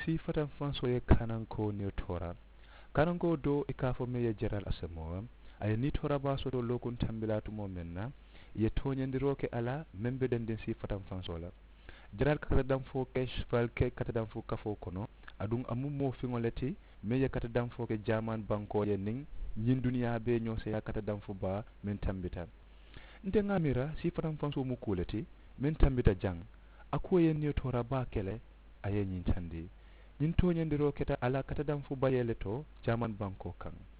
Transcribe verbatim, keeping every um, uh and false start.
Sii fatanfansoo ye kaanankoo niyo toora. Kaanankoo doo i ka a fo meŋ ye jaraal asemoo a ye nii toora baa soto lookuŋ tambilaa tumoo meŋ na, i ye tooñandiroo ke a la meŋ be dendiŋ sii fatanfansoo la. Jaraal ka katadanfoo ke ke katadanfoo kafoo kono. Aduŋ a mu moo fiŋo le ti meŋ ye katadanfoo ke jaaman bankoo ye niŋ ñiŋ duniyaa bee ñoo seeyaa katadanfoo baa meŋ tambita. Nte ŋa a miira sii fatanfansoo mu kuu le ti meŋ tambita jaŋ. A kuwo ye niyo toora baa ke le. A ye ñiŋ tandi. Ñiŋ tooñandiroo keta a la katadanfoo bayee le to jaaman bankoo kaŋ.